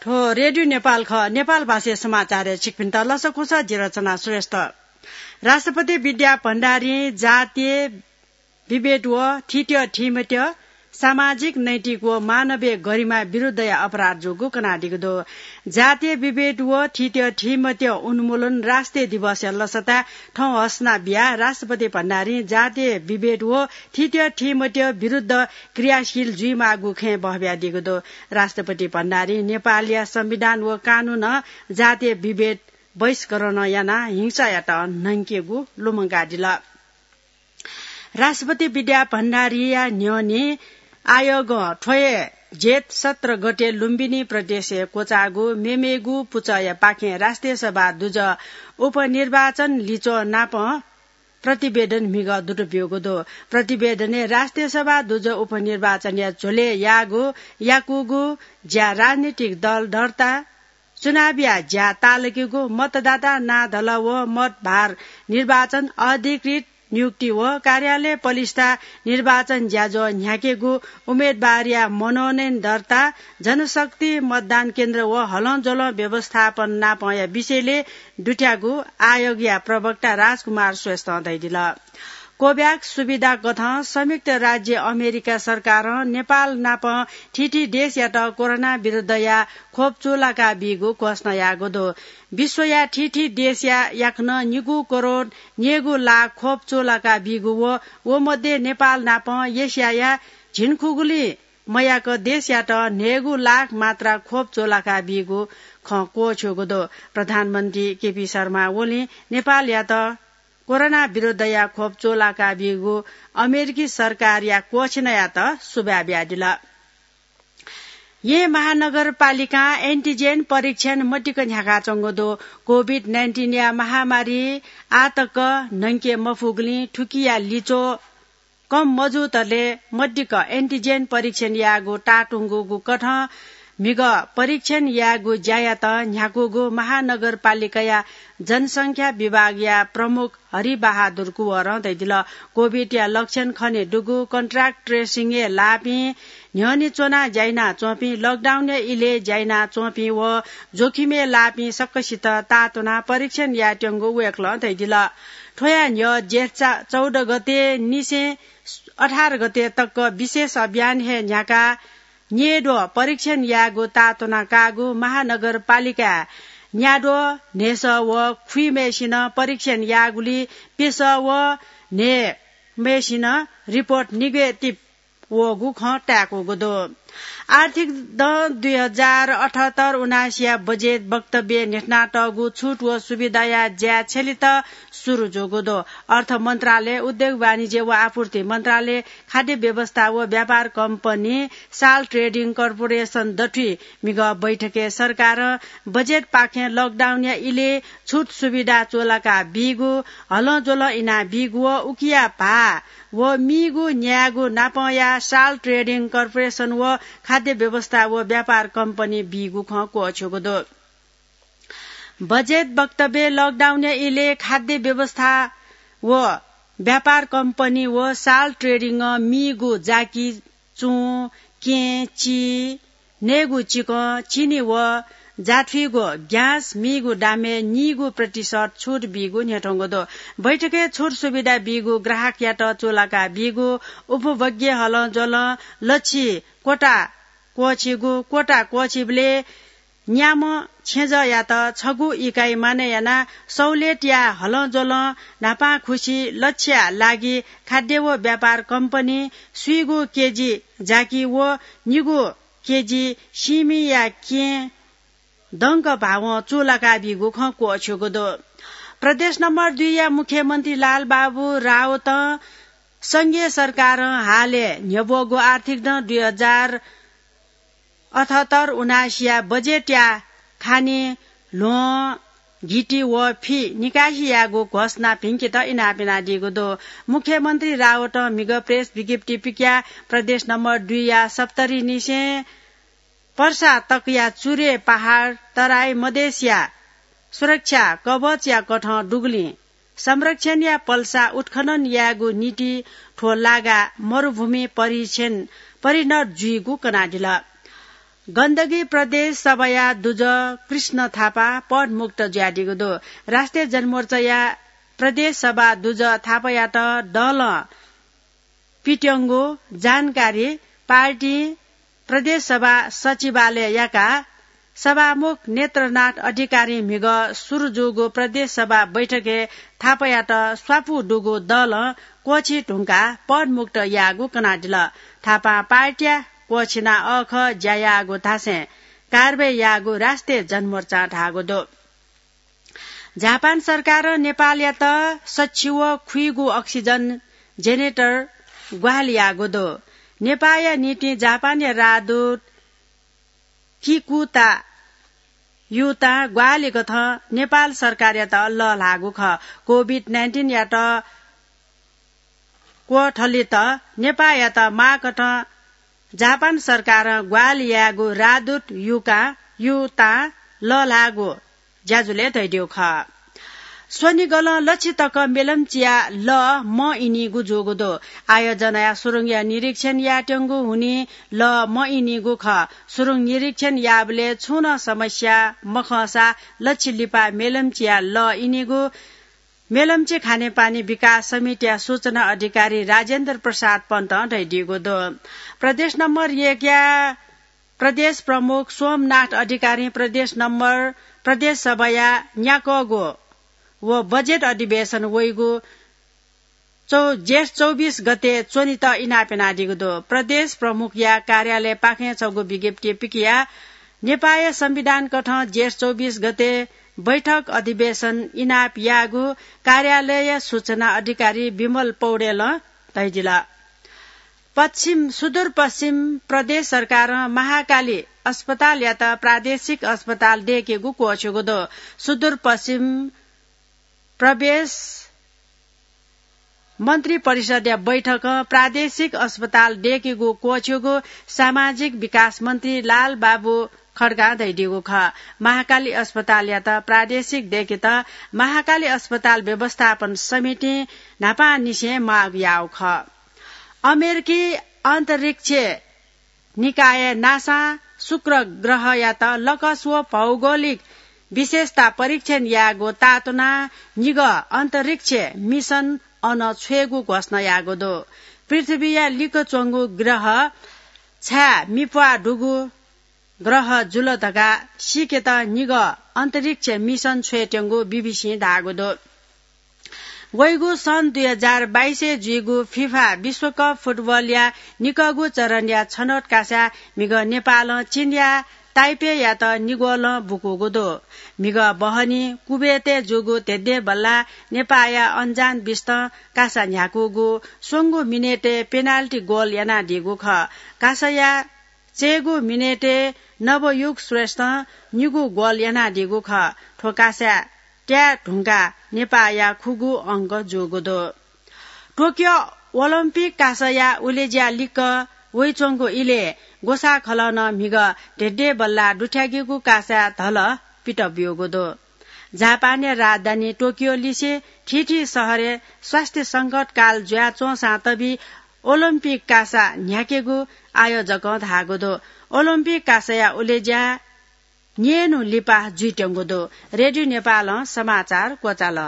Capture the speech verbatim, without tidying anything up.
थ्व रेडियो नेपाल खः। नेपाल भाषाया समाचारय् छिकपिन्त लसकुस, जि रचना श्रेष्ठ। राष्ट्रपति विद्या भण्डारीं जातीय विभेद व थीथ्यः थीमथ्यः सामाजिक, नैतिक व मानवीय गरिमा विरुद्धया अपराध जूगु कनादीगु दु। जातीय विभेद व थीथ्यः थीमथ्यः उन्मूलन राष्ट्रिय दिवसया लसताय् थौं हसना बियाः राष्ट्रपति भण्डारीं जातीय विभेद व थीथ्यः थीमथ्यः विरुद्ध क्रियाशील जुइमाःगु खँय् बहबियादीगु दु। राष्ट्रपति भण्डारीं नेपालया संविधान व कानूनं जातीय विभेद बहिष्करण यानाः हिंसायात न्हंकेगु लुमंकादिल। राष्ट्रपति विद्या भण्डारीया न्ह्यःने आयोगं थ्व हे जेठ सत्र गते लुम्बिनी प्रदेशय् क्वचाःगु मेमेगु पुचःया पाखें राष्ट्रिय सभा दुजः उपनिर्वाचन लिच्वः नापं प्रतिवेदन म्हिगः दुत ब्यूगु दु। प्रतिवेदनय् राष्ट्रिय सभा दुजः उपनिर्वाचनया झ्वलय् याःगु, याकूगु ज्या, राजनीतिक दल दर्ता, चुनावया ज्या ताःलाकेगु, मतदाता नां धल व मत भार, निर्वाचन अधिकृत नियुक्ति व कार्यालय पलिस्था, निर्वाचन ज्याझ्वः न्ह्याकेगु, उम्मेदवारया मनोनयन दर्ता, जनशक्ति, मतदान केन्द्र व हलंज्वलं व्यवस्थापन नापंया विषयलय् दुथ्याःगु आयोगया प्रवक्ता राजकुमार श्रेष्ठं धयादिल। कोभ्याक्स सुविधा कथं संयुक्त राज्य अमेरिका सरकारं नेपाल नाप थीथी देशयात कोरोना विरुद्धया खोप चूलाका बीगु घोषणा याःगु दु। विश्वया थीथी देशया याकनं निगू करोड न्यय्गू लाख खोप चूलाका बीगु व व मध्ये नेपाल नाप एसियाया झिंखुगुलिं मयाक देशयात न्हय्गू लाख मात्रा खोप चूलाका बीगु खँ क्वःछ्यूगु दु। प्रधानमन्त्री केपी शर्मा ओलीं नेपालयात कोरोना विरुद्धया खोप चूलाका बीगु अमेरिकी सरकारया क्वःछिनयात सुभाय् बियादिल। येँ महानगरपालिकां एन्टिजेन परीक्षण मतिक न्ह्याकाच्वंगु दु। कोभिड नाइन्टिनया महामारी आतक न्हंके मफुगुलिं थुकिया लिच्वः कम मजूतले मतिक एन्टिजेन परीक्षण यायेगु ताःतुंगूगु कथं म्हिगः परीक्षण यायेगु ज्यायात न्ह्याकूगु महानगरपालिकाया जनसंख्या विभागया प्रमुख हरिबहादुर कुँवरं धयादिल। कोभिडया लक्षण खने दुगु, कन्ट्याक्ट ट्रेसिङय् लाःपिं, न्ह्यःने च्वनाः ज्या यानाच्वंपिं, लकडाउनया इलय् ज्या यानाच्वंपिं व जोखिमय् लाःपिं सकसित ताःतुनाः परीक्षण यायेत्यंगु वय्कलं धयादिल। थ्वया न्ह्यः जेठ चा-, चौध गते निसें अठार गते तक विशेष अभियान हे न्ह्याकाः न्यय्द्वः परीक्षण यायेगु ताःतुना काःगु महानगरपालिकाय् न्याद्वः, न्हय्सः व खुइम्हय्सिनं परीक्षण याःगुलिं प्यसः व न्हय्म्हय्सिनं रिपोर्ट निगेटिभ वःगु खँ ताय्कूगु दु। आर्थिक दँ दुई हजार अठहत्तर उनासीया बजेट वक्तव्यय् न्ह्यथनातःगु छुट व सुविधाया ज्या छ्यलेत सुरु जूगु दु। अर्थ मन्त्रालय, उद्योग वाणिज्य व आपूर्ति मन्त्रालय, खाद्य व्यवस्था व व्यापार कम्पनी, साल्ट ट्रेडिङ कर्पोरेसन दथुइ म्हिगः बैठकय् सरकारं बजेटपाखें लकडाउनया इलय् छुट सुविधा चूलाका बीगु, हलंज्वलं इना बीगु व उकिया भाः व मीगु न्यायेगु नापंया साल्ट ट्रेडिङ कर्पोरेसन व खाद्य व्यवस्था व व्यापार कम्पनी बीगु खँ क्वःछ्यूगु दु। बजेट वक्तव्यय् लकडाउनया इलय् खाद्य व्यवस्था व व्यापार कम्पनी व साल्ट ट्रेडिङं मीगु जाकि चुं, कें, चि, नयेगु चिकं, चिनी व जाथुइगु ग्यास मीगु दामय् नीगू प्रतिशत छुट बीगु न्ह्यथंगु दु। बैठकय् छुट सुविधा बीगु ग्राहकयात चूलाका बीगु, उपभोग्य हलंज्वलं लछि क्वता क्वःछीगु, क्वता क्वःछीबलय् न्याम्ह छेँजःयात छगू इकाइ मानय् यानाः सहुलियतया हलंज्वलं न्हापांखुसी लछिया लागि खाद्य व व्यापार कम्पनी स्वीगू केजी जाकि व निगू केजी सिमिया कें दंक भावं चूलाका बीगु खँ क्वःछ्यूगु दु। प्रदेश नम्बर दुईया मुख्यमन्त्री लालबाबु राउतं संघीय सरकारं हालय् न्ह्यब्वःगु आर्थिक दँ दुई हजार अठहत्तर उनासीया बजेटया खानी ल्ह्वं, घिति व फि निकासी यायेगु घोषणा भिंकेत इनाप यानादीगु दु। मुख्यमन्त्री रावतं म्हिगः प्रेस विज्ञप्ति पिकयाः प्रदेश नम्बर दुईया सप्तरीनिसें पर्सा तकया चुरे पहाड तराई मधेसया सुरक्षा कवचया कथं दुगुलिं संरक्षणया पल्सा उत्खनन यायेगु निंतिं थ्व लागा मरुभूमि परिक्षण परिणत जुइगु कनादिल। गण्डकी प्रदेश सभाया दुजः कृष्ण थापा पदमुक्त जुयादीगु दु। राष्ट्रिय जनमोर्चाया प्रदेश सभा दुजः थापायात दलं पित्यंगु जानकारी पार्टीं प्रदेश सभा सचिवालय याकाः सभामुख नेत्रनाथ अधिकारीं म्हिगः सुरु जूगु प्रदेश सभा बैठकय् थापायात स्वापू दुगु दलं क्वःछी धुंकाः पदमुक्त याःगु कनादिल। थापां पार्टीया क्वःछिना अःखः ज्या याःगु धासें कारवाही याःगु राष्ट्रिय जनमोर्चां धाःगु दु। जापान सरकारं नेपालयात सच्छि व खुइगु अक्सिजन जेनेरेटर ग्वाहालि याःगु दु। नेपाःया निंतिं जापानया राजदूत किकुता युतां ग्वाहालि कथं नेपाल सरकारयात लःल्हाःगु खः। कोभिड नाइन्टिनयात क्वथलित नेपाःयात माःकथं जापान सरकारं ग्वाहालि याःगु राजदूत युका, युतां लःल्हाःगु ज्याझ्वलय् धयादीगु खः। स्वनिगलं लच्छि तक मेलम्चिया लः मइनिगु जूगु दु। आयोजनाया सुरुङया निरीक्षण यायेत्यंगु हुनिं लः मइनिगु खः। सुरुङ निरीक्षण याःबलय् छुं नं समस्या मखंसा लच्छि लिपा मेलम्चिया लः इनिगु मेलम्ची खानेपानी विकास समितिया सूचना अधिकारी राजेन्द्र प्रसाद पन्तं धयादीगु दु। प्रदेश नम्बर एकया प्रदेश प्रमुख सोमनाथ अधिकारीं प्रदेश नम्बर प्रदेश सभाया न्याकःगु व बजेट अधिवेशन वइगु चौ-, जेठ चौबिस गते च्वनेत इनाप यानादीगु दु। प्रदेश प्रमुखया कार्यालयपाखें छगू विज्ञप्ति पिकयाः नेपाःया संविधान कथं जेठ चौबिस गते बैठक अधिवेशन इनाप याःगु कार्यालय सूचना अधिकारी विमल पौडेलं धयादिल। पश्चिम, सुदूरपश्चिम प्रदेश सरकारं महाकाली अस्पतालयात प्रादेशिक अस्पताल दय्केगु क्वःछ्यूगु दु। सुदूरपश्चिम प्रदेश मन्त्री परिषदया बैठकं प्रादेशिक अस्पताल दय्केगु क्वःछ्यूगु सामाजिक विकास मन्त्री लालबाबु खड्गां धयादीगु खः। महाकाली अस्पतालयात प्रादेशिक दय्केत महाकाली अस्पताल व्यवस्थापन समितिं न्हापांनिसें माग याःगु खः। अमेरिकी अन्तरिक्ष निकाय नासां शुक्र ग्रहयात लकस व भौगोलिक विशेषता परीक्षण यायेगु तातुनाः निगः अन्तरिक्ष मिसन अन छ्वयेगु घोषणा याःगु दु। पृथ्वीया लिक्क च्वंगु ग्रह छाय् मिप्वाः दुगु ग्रह जुल धकाः सीकेत निगः अन्तरिक्ष मिसन छ्वयेत्यंगु बीबीसीं धाःगु दु। वइगु सन् दुई हजार बाइसय् जुइगु फिफा विश्वकप फुटबलया निकःगु चरणया छनौट कासाय् म्हिगः नेपालं चीनया ताइपेयात निगोलं बुकूगु दु। म्हिगः बहनी कुवेतय् जूगु धेंधेंबल्लाः नेपाःया अञ्जान बिस्तं कासा न्ह्याकूगु स्वंगू मिनेटय् पेनाल्टी गोल यानादीगु खः। कासाया चय्गू मिनेटय् नवयुग श्रेष्ठं निगू गोल यानादीगु खः। थ्व कासाय् त्याये धुंकाः नेपाःया खुगू अंक जूगु दु। टोकियो ओलम्पिक कासाया उलेज्या लिक्क वइच्वंगु इलय् ग्वसाःखलं नं म्हिगः धेंधेंबल्लाः दुथ्याकीगु कासाय् धलः पित ब्यूगु दु। जापानया राजधानी टोकियो लिसे थीथी शहरय् स्वास्थ्य संकटकाल जुयाच्वंसां तबि ओलम्पिक कासा न्ह्याकेगु आयोजकं धाःगु दु। ओलम्पिक कासाया उलेज्या न्येन्हु लिपा जुइत्यंगु दु। रेडियो नेपालं समाचार क्वचाल।